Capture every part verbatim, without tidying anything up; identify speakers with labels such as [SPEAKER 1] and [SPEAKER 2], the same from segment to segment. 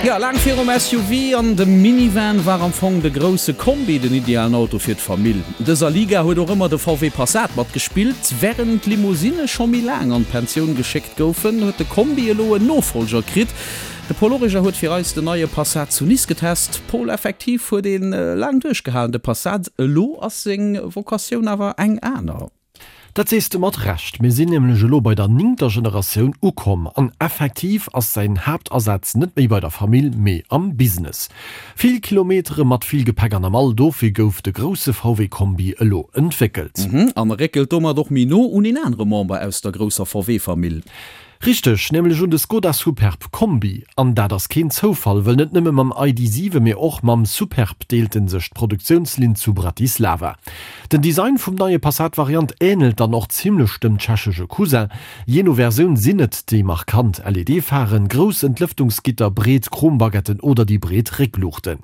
[SPEAKER 1] Jo, laang virum S U V an dem Minivan war am Fong de grousse Kombi den idealen Auto fir d'Famill. An dëser Liga huet och ëmmer de V W Passat matgespillt. Wärend d'Limousine scho méi laang an d'Pensioun geschéckt goufen, huet de Kombi elo en Nofollger kritt. De Paul Origer huet fir eis den neie Passat zu Nice getest. Paul, effektiv huet e laang duerchgehalen, de Passat, elo ass seng Vokatioun awer eng aner.
[SPEAKER 2] Dat sees de mat Recht, mir sinn nämlech elo bei der néngter Generatioun ukomm an effektiv ass säin Haaptasaz net méi bei der Famill, mee am Business. Vill Kilometere mat vill Gepäck an der Mall, dofir gouf de grousse V W Kombi elo entwéckelt.
[SPEAKER 1] An e réckelt domat och méi no un een anere Member aus der grousser V W-Famill.
[SPEAKER 2] Richteg, nämlech un de Skoda Superb Kombi. An dat ass keen Zoufall, well net nëmme mam I D siwe mee och mam Superb deelt en sech d'Produktiounslinn zu Bratislava. Den Design vum neie Passat-Variant änelt dann och zimmlech dem tschechesche Cousin. Jee no Versioun sinn et déi markant L E D-Pharen, grouss Entlëftungsgitter, breet Chrombaguetten oder déi breet Réckluuchten.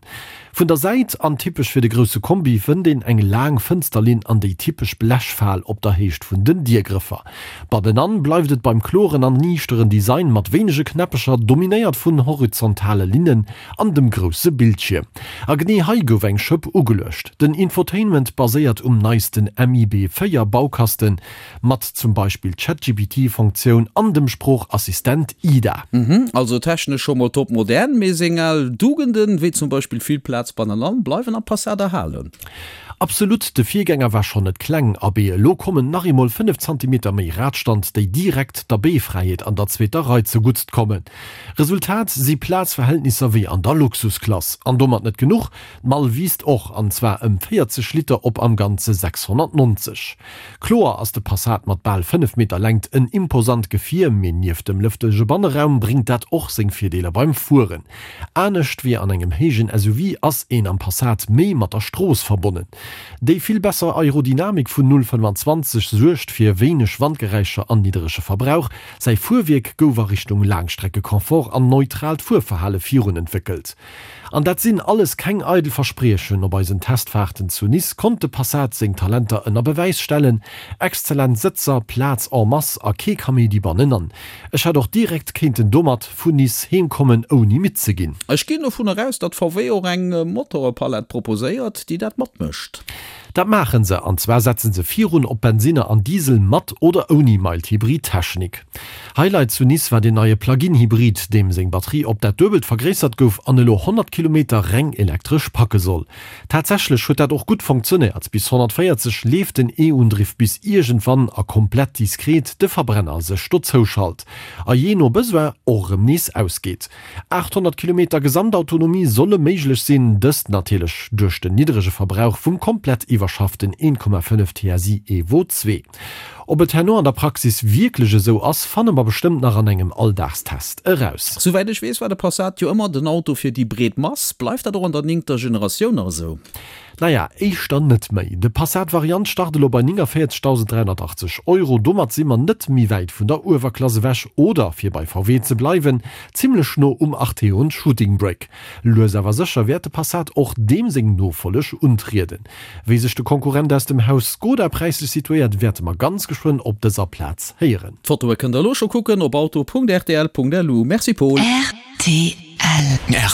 [SPEAKER 2] Vun der Säit, an typesch fir de grousse Kombi, fënnt een eng laang Fënsterlinn an déi typesch Blechfal op der Héicht vun den Diergrëffer. Bannenan bleift et beim kloren an niichteren Design mat wéinege Knäppecher, dominéiert vun horizontale Linnen an dem grousse Bildschierm. A genee hei gouf eng Schëpp ugeluecht. Den Infotainment baséiert um neisten M I B véier Baukasten mat zum Beispill Chat G P T-Funktioun an dem Sproochassistent Ida.
[SPEAKER 1] Also technesch scho mol top modern, mee seng al Dugenden, wéi zum Beispill vill Plaz bannenan, bleiwen am Passat erhalen.
[SPEAKER 2] Absolut, de Virgänger war schonn net kleng, abee, elo kommen nach eemol fënnef Zentimeter méi Radstand, déi direkt der Beefräiheet an der zweeter Rei zegutt kommen. Resultat si Plazverhältnisser wéi an der Luxusklass. An domat net genuch, d'Mall wiisst och, an zwar ëm véierzeg Liter op am Ganze sechshonnertnonzeg. Kloer ass de Passat mat bal fënnef Meter Längt en imposant Gefier, mee nieft dem lëftege Banneraum bréngt dat och seng Virdeeler beim Fueren. Anescht wéi an engem héijen S U V ass een am Passat méi mat der Strooss verbonnen. Déi vill besser Aerodynamik vun null fënnfanzwanzeg suergt fir wéineg Wandgeräischer an nidderege Verbrauch. Säi Fuerwierk gouf a Richtung Laangstreckekomfort an neutraalt Fuerverhale virun entwéckelt. An dat sinn alles keng eidel Verspriechen, op eisen Testfaarten zu Nice konnt de Passat seng Talenter ënner Bewäis stellen, exzellent Sëtzer, Plaz en masse a kee Kaméidi bannenan. Ech hätt och direkt kéinten domat vun Nice heemkommen, ouni midd ze ginn.
[SPEAKER 1] Ech ginn dovunner aus, datt V W och eng Motorpalett proposéiert, déi dat matmécht.
[SPEAKER 2] Dat maachen se, an zwar setzen se virun op Bensinner an Diesel mat oder ouni Mild-Hybrid-Technik. Highlight zu Nice war den neie Plug-in-Hybrid, deem seng Batterie op dat Duebelt vergréissert gouf an elo honnert Kilometer reng elektresch packe soll. Tatsächlech huet dat och gutt funktionéiert, bis honnertvéierzeg leeft den E-Undriff, bis iergendwann a komplett diskret de Verbrenner sech dozouschalt a jee no Besoin och erëm nees ausgeet. Aathonnert Kilometer Gesamtautonomie solle méiglech sinn, dëst natierlech duerch den niddrege Verbrauch vum komplett iwwerschafften een Komma fënnef T S I Evo zwee. Ob et herno an der Praxis wierklech esou ass, fanne mer bestëmmt nach an engem Alldagstest eraus.
[SPEAKER 1] Souwäit ech weess, war de Passat jo ëmmer den Auto fir déi breet Mass. Bleift dat och an der néngter Generatioun nach esou?
[SPEAKER 2] Naja, éischter net méi. De Passat-Variant start elo bei néngavéierzegdausend dräihonnertachtzeg Euro. Domat si mer net méi wäit vun der Uewerklass ewech oder, fir bei V W ze bleiwen, zimmlech no um Arteon Shooting Brake. Lues awer sécher wäert de Passat och deem seng Nofolleg untrieden. Wéi sech de Konkurrent aus dem Haus Skoda präislech situéiert, wäerte mer ganz geschwënn op dëser Plaz héieren.
[SPEAKER 1] D'Fotoe kënnt der elo scho kucken op auto Punkt R T L Punkt L U. Merci Paul.
[SPEAKER 3] R T L.